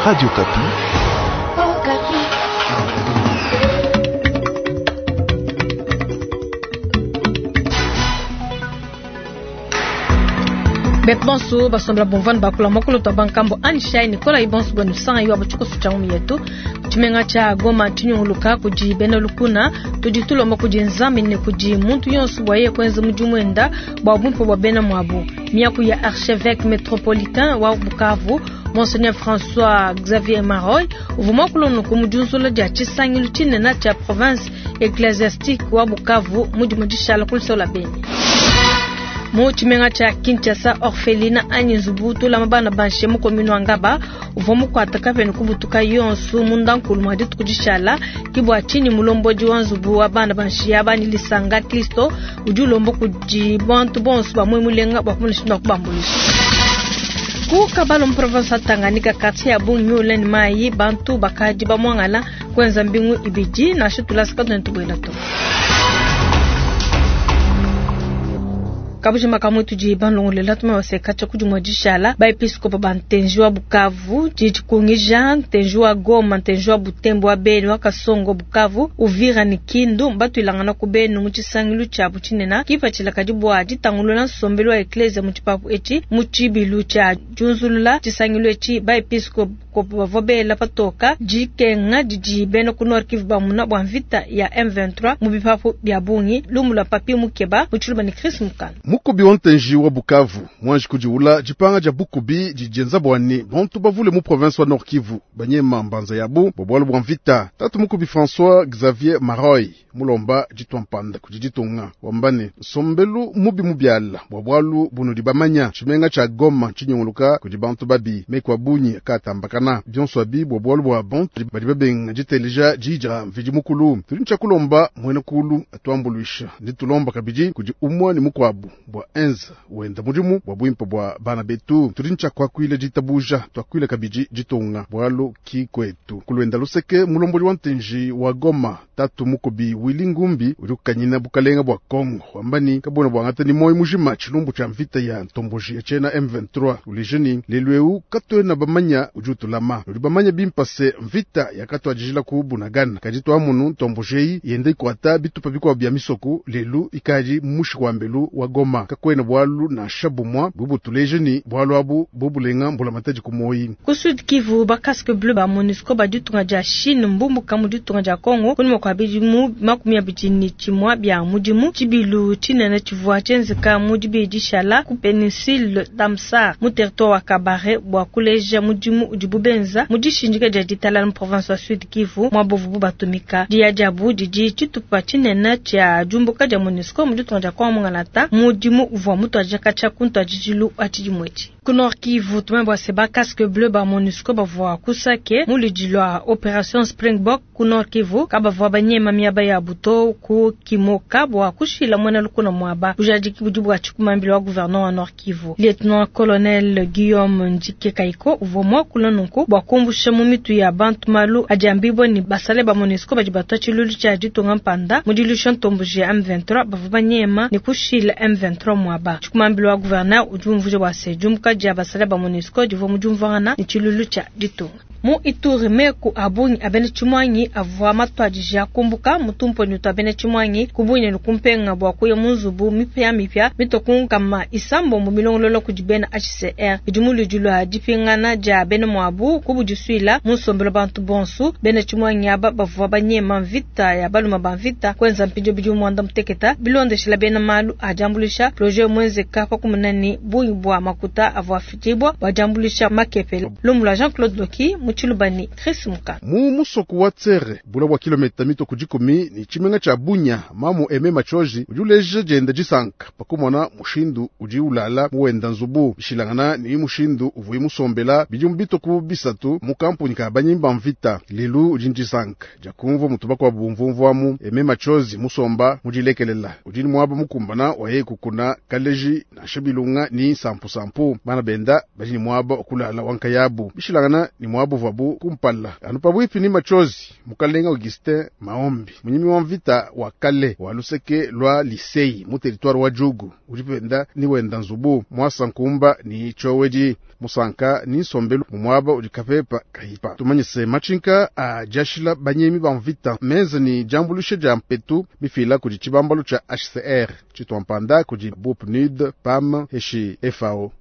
Radio Okapi. Betu bonso basombela bumvua bakula muakulu tua bankambo anishai nikolai bonso bwenu sanga yo abatshikoso tshia ngumi yetu tshimenga tshia Goma tshinyunguluka kudi bena lukuna. Tudi tulomba kudi Nzambi ne kudi muntu yonso bua yeye kuenza mudimu wenda bua bumpe bua bena muabu. Miaku ya archevêque metropolitain wa Bukavu Monseigneur François Xavier Maroy uvua muakula nunku mu diunzula dia tshisangilu tshinene tshia province ecclesiastique wa Bukavu mu dimue dishala ku luseke lua Beni. Mu tshimenga tshia Kinshasa, orphelinat anyi nzubu tulama bana ba nshiya mu commune wa Ngaba uvua mukuata kapia ne kubutuka yonso munda nkulu mua dituku dishala. Ke bua tshinyi mulombodi wa nzubu wa bana ba nshiya aba ne Lisanga Kristo udi ulomba kudi bantu bonso ba muoyo mulenga bua kumona mushindu wa kubambuluisha. Ku Kabalo mu province wa Tanganyika, quartier ya bungi miule ne mayi, bantu bakadi bamuangala kuenza mbingu ibidi nansha tulasa katuena tubuela to. Kabujima kamwe tudi balongolela tuma baseka tshia kudi dishala ba episkopo ba ntenji wa Bukavu didi kungija ntenji wa Goma, ntenji wa Butembo wa Beni wa Kasongo Bukavu Uvira ne Kindu batuilangana ku benu mu tshisangilu tshiabu tshinene kipatshila kadi bua ditangulula nsombelu wa eklesia mu tshipapu etshi. Mu tshibilu tshia diunzulula tshisangilu etshi ba episkopo bavua bela patoka dikenga didi bena ku Nord Kivu bamuna bua mvita ya M23 mu bipapu bia bungi. Lumu lua Papi Mukeba mu Tshiluba ne Chris Mukana. Mukubi wa ntenji wa Bukavu mwanji kudiula dipanga dia bukubi didienza bua ne bantu bavule mu province wa Nord Kivu banyema mbanza yabu bua bualu bua mvita. Tatu mukubi François Xavier Maroy mulomba ditua mpanda kudi ditunga wamba ne nsombelu mubi mubiala bua bualu bunudi bamanya tshimenga tshia Goma tshinyunguluka kudi bantu babi meku a bungi akatambakana bionso abi bua bualu bua bantu badi babenga diteleja diyi dia Mvidi Mukulu. Tudi ntshia kulomba muena kulu atuambuluisha nditulomba kabidi kudi umue ne mukuabu bua enza wenda mudimu bua buimpe bua bana betu. Tudi ntshia kuakuila ditabuja tuakuila kabidi ditunga bualu ki kwetu. Kulwenda luseke mulombodi wa ntenji wa Goma tatu mukubi Willy Ngumbi udi kukanyina bukalenga bua Kongo wamba ni kabona bwangata ni moyo mujima tshilumbu tshia mvita ya ntomboji ya tshena M23 uleje ni lelu eu katuena bamanya udi utulama udi bamanya bimpa se mvita yakatuadijila ku Bunagana kadi twamunu ntomboji eyi yenda ikuata bitupa bikuabu bia misoko lelu ikadi mushi wa mbelu wa Goma kakwena bualu nansha bumwa bubutuleje ni bualu abu bubulenga mbulamatadi ku moyi. Ku Sud Kivu ba casque bleu ba MONUSCO ba ditunga dia Chine mbumbuka mu ditunga dia Congo kunyima kua bidimu 21 bia mudimu. Tshibilu tshinene tshivua tshienzeka mu dibidi dishala ku péninsule d'Amsar mu territoire wa Kabare bua kuleja mudimu udibu benza mu dishindika dia ditalala mu province wa Sud Kivu muaba uvubu batumika. Diya diabu didi tshitupa tshinene tshia diumbuka dia MONUSCO mu ditunga dia Congo mungalata mudimu uvua mutuadija katshia ku ntuadijilu wa tshidimu etshi. Ku Nord Kivu tumanye bua se ba casque bleu ba MONUSCO bavua ku Sake mu ludi lua Operation Springbok ku Nord Kivu kabavua banyema miaba ya buto ku Kimoka bua kushila muena lukuna muaba. Bujadiki budi bua tshikumambila wa gouverneur wa Nord Kivu Lieutenant Colonel Guillaume Ndjike Kaiko uvua muakula nunku bua kumbusha mu mitu ya bantu malu adi ambibua ne basale ba MONUSCO badi batua tshilulu tshia ditunga mpanda mu dilusha ntomboji ya M23 bavua banyema ne kushila M23 muaba. Tshikumambila wa gouverneur udi umvuija bua se diumbuka dia basale ba MONUSCO divua mu diumvuangana ne tshilulu tshia ditunga. Mu Ituri meku a bungi a bena tshimwangi avua matuadija kumbuka mu tumponyi tua bena tshimwangi ku Bunia ne ku Mpenga bua kuya mu nzubu mipiamipia mitue ku 600 milongolola kudi bena HCR. Bidi mu ludi lua dipingana dia bena muabu ku budisuila mu nsombelu bantu bonso. Bena tshimwangi aba bavua banyema mvita ya baluma ba mvita kuenza mpindieu bidimu 60 bilondeshela bena malu a diambuluisha projet muenzeka pa kumona ne bungi bua makuta avua afidibua bua diambuluisha makepele. Lumu lua Jean-Claude Loki mu Tshiluba ne Chris Mukana. Mu musoko wa Tsere bula bua kilomita mitue ku dikumi ne tshimenga tshia Bunia mamu Aime Machoji udi uleja dienda disanka pakumona mushindu udi ulala muwenda nzubu bishilangana ne mushindu uvuye musombela bidimu bitue ku 3 mu kampuni ka banyimba mvita. Lelu udi ndisanka dia kumvua mutu bakuabu bumvumvuamu. Aime Machozi musomba mudilekelela udi ni muaba mukumbana waye kukuna kaleji nansha bilunga ni sampusampu bana benda badi ni muaba okulala wankayabu bishilangana ni muaba muvuabu kumpala. Anu pabuipi ni matshozi, mukalenga Augustin Maombi, munyimi wa mvita wa kale wa luseke lwa Lisei mu territoire wa Djugu, udi penda ni wenda nzubu mwasa nkumba ni tshowedi musanka ni nsombelu mu muaba udi kapepa kayipa. Tumanyise matshinka a diashila banyemi ba mvita menza ni diambuluisha dia mpetu mifila kudi tshibambalu tshia HCR tshituampanda kudi BUPNUD, PAM heshi FAO.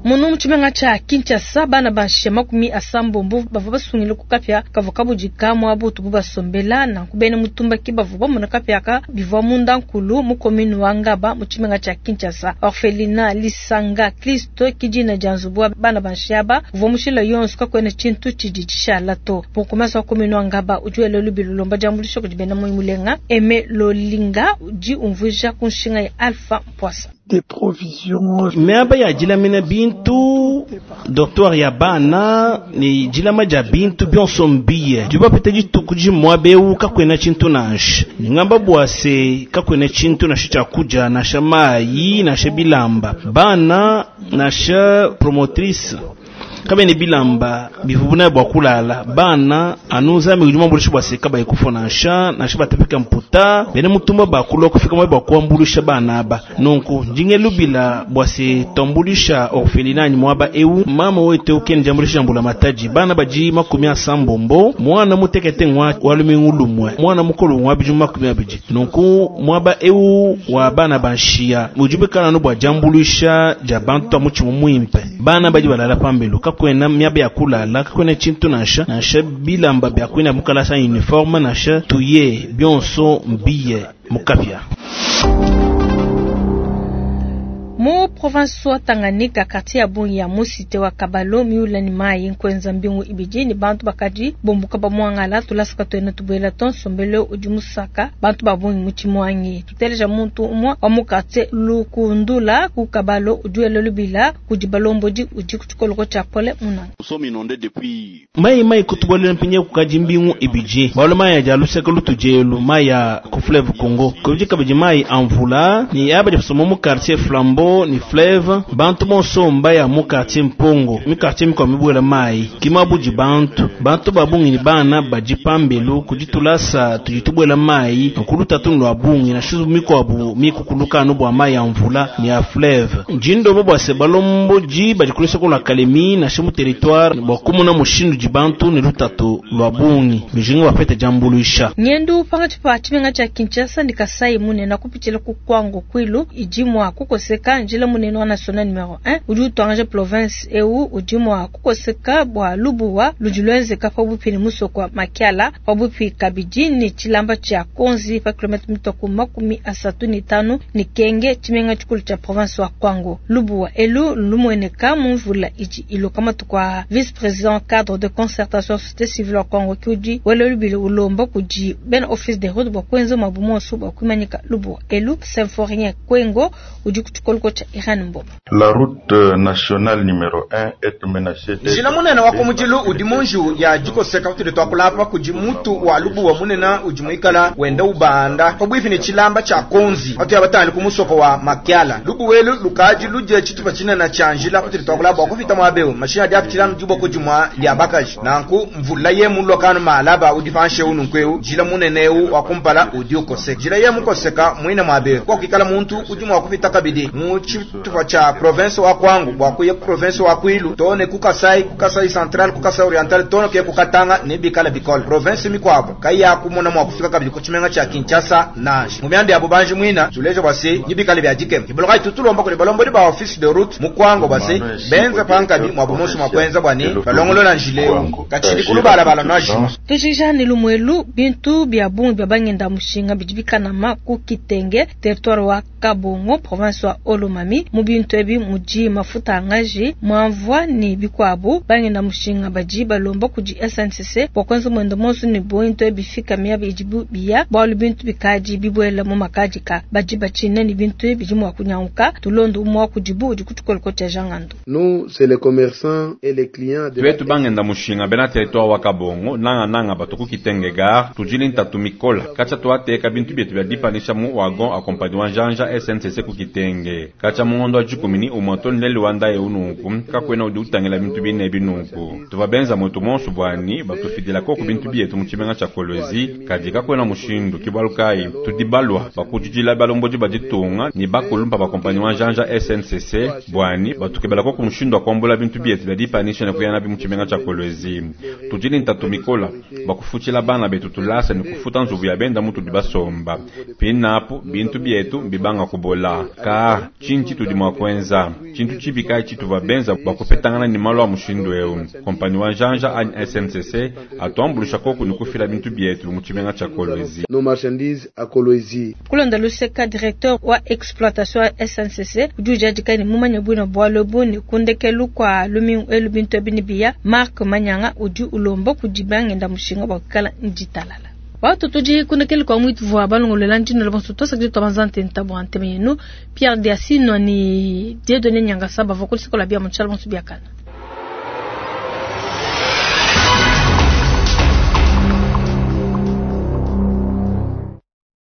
Munu mu tshimenga tshia Kinshasa, bana ba nshiya 80 bavua basungile ku kapia kavua kabudika muaba utubu basombela. Nanku bena mutumba ke bavua bamona kapia aka bivua munda nkulu mu commune wa Ngaba mu tshimenga tshia Kinshasa. Orphelinat Lisanga Kristo ke dina dia nzubu wa bana ba nshiya aba uvua mushila yonso, kakuena tshintu tshidi tshishala to. Bourgmestre wa commune wa Ngaba udi wela lubilu ulomba diambuluisha kudi bena muoyo mulenga. Aime Lolinga udi umvuija ku nshinga ya Alpha Mpwasa. Des provisions. Miaba ya dilamina bintu, dortoir ya bana ne dilama dia bintu bionso mbiye. Dibapeta dituku dimue eu kakuena tshintu nansha. Ngamba bua se kakuena tshintu nansha tshia kudia, nansha mayi, nansha bilamba. Bana nansha promotrice kabene bilamba bivubuna bua kulala. Bana anu nzambi udi muambulisha bua se kabayi kufa nansha, nansha batapika mputa, bena mutumba bakulua kufika mwe bua kuambulisha bana aba. Nunku ndinge lubila bua se tambulisha orphelinat ni mwaba eu mama wetu ukeni jambulisha mbula mataji. Bana baji 80 mwana mutekete ngwa walumingu lumwe, mwana mukulu ngwa biju 20. Nunku mwaba eu wa bana banshia mujube kana no bua jambulisha ja bantu amuchi muimpe. Bana baji balala pambelu kakwena miaba ya kulala, kakwena tshintu nansha, nansha bilamba bya kwena mukalasa uniforme nansha tuye bionso mbiye mukapya. Mu province wa Tanganyika, quartier ya Bungi ya Musite wa Kabalo miula ni mai nkwenza mbingu ibidi ni bantu bakadi bombuka ba mwangala tulasaka tuena tubuela tonsombele udi musaka bantu ba bungi mu tshimwangi. Tuteleja muntu umwe wa mu quartier Lukundula ku Kabalo udi wela lubila kudi balombodi udi ku tshikoloko tshia Pole Munanga. Mai mai kutubolela mpinye kukadi mbingu ibidi balo mai ya luseka lutujelu mai ya ku fleuve Congo kubidi kabidi mai amvula ni abadi somo mu quartier Flambeau ni fleuve bantu bonso mbaya mu quartier Mpongo mi quartier mikwa mibwela mai kimabudi bantu bantu babungi ni bana baji pambelu kujitulasa tujitubwela mai nkuluta tunu lwa bungi na shuzu mikwabu mikukuluka no bwa mai ya mvula ni ya fleuve njindo bo bwase balombo ji bajikulisa ko la kalemi na shimu territoire bwa kumuna mushindu jibantu ni lutatu lwa bungi bijinga bapete jambuluisha nyendu pakati pa tshimenga tsha Kinshasa ndi Kasai munene kupitshila ku Kwango Kwilu idimwa kukoseka njila munene wa national numero 1 udi utwanganje province eu udimwa kukoseka bwa lubuwa ludilwenzeka pabupi ni musoko Makiala pabupi kabidi ni tshilamba tsha Konzi pa kilometre mitoku 35 ni Kenge tshimenga tshikulu tsha province wa Kwango. Lubuwa elu lumweneka mumvula idi iloka matuku a vice président cadre de concertation société civile wa Kwango kiudi wele lubili ulomba kudi ben office de route bwa kwenza mabumonso bwa kumanyika lubuwa elu Symphorien Kwengo udi kutshikoloko tsha Iran Mboma. La route nationale numéro 1 est menacée. Njila munene wa kumujilu udi munju ya jikoseka utuli twakulapa kudi mutu wa lubuwa munene udi muikala wenda ubanda pabwifi ni tshilamba tsha Konzi atu ya batali kumusoko wa Makiala. Lubuwelu lukaji luje tshitupa tshinene tsha njila utuli twakulapa bwa kufita mwabeu mashina dia kutshilanu diboko dimwa dia bakaji nanku mvula ye mulokano malaba udi panshe ununkweu njila munene eu wa kumpala udi ukoseka njila ye mukoseka mwina mwabeu kwa kikala muntu udi mwa kufita kabidi mu tshitupa tsha province wa Kwango bwa kuya province wa Kwilu tone ku Kasai, ku Kasai central, ku Kasai oriental tone ke ku Katanga ne bikala bikole province mikwabo kaya kumona mwa kufika kabidi ku tshimenga tsha Kinshasa nanje mu myanda ya bubanji mwina tuleje bwase nibikale bya dikem iboloka tutulomba kuli balombodi ba office de route mu Kwango bwase benza pankabi mwa bumoso mwa kwenza bwani balongolola njileo kachili kulubala bala naji tujija ni lumwelu bintu bya bungi bya bangenda mushinga bidibikanama ku Kitenge territoire wa Kabongo province wa Olomami mu bintu ebi muji mafuta angaji mwamvwa ni bikwabu bangenda mushinga baji balomba kudi SNCC bwa kwenza mwendo monso ni bintu ebi fika miabi ijibu biya bwalu bintu bikaji bibwela mu makajika baji bachine ni bintu ebi jimwa kunyanguka tulondo umwa kujibu udi kutukoloko cha jangando. Nous c'est les commerçants et les clients de twetu bangenda mushinga bena territoire wa Kabongo nanga nanga batuku Kitenge gare tujili ntatu mikola kacha tuateka bintu byetu bya dipanisha mu wagon accompagnement janja SNCC ku Kitenge Katshia mu ngondo wa dikumi ni umue too ne lelu wa ndaya eu nunku, kakuena udi utangila bintu bine ebi nunku. Tuvua benza muetu muonso bua ni batufidila koku bintu bietu mu tshimenga tshia Kolwezi, kadi kakuena mushindu. Ke bualu kayi tudi balua bua kujidila balombodi ba ditunga ni bakulumpa ba kompanyi wa njanja SNCC bua ni batukebela koku mushindu wa kuambula bintu bietu bia dipanyisha ne kuya nabi mu tshimenga tshia Kolwezi. Tudi ne ntatu mikola bua kufutshila bana betu tulasa ne kufuta nzubu ya benda mutudi basomba. Pinapu bintu bietu mbibanga kubola. Kaa, tshinyi tshitudi mua kuenza? Tshintu tshibi kayi tshituvua benza bua kupetangana ne malu a mushindu eu? Kompanyi wa njanja anyi SNCC atuambuluisha koku ne kufila bintu bietu mu tshimenga tshia Kolwezi. Nos marchandises à Kolwezi. Kulonda luseka, directeur wa exploitation wa SNCC udi ujadika ne mumanye buina bualu ebu ne ku ndekelu kua lumingu elu bintu ebi nebiya. Marc Manyanga udi ulomba kudi bangenda mushinga bua kuikala ne ditalala. Watu tudi kundekelu kua muitu vua balongolola ndino la bonso tuasakidi tua banza ntenta bua ntema yenu. Pierre Diasino ni Dieudonné Nyangasa bavua ku luseke lua bia mu tshiala bonso biakana.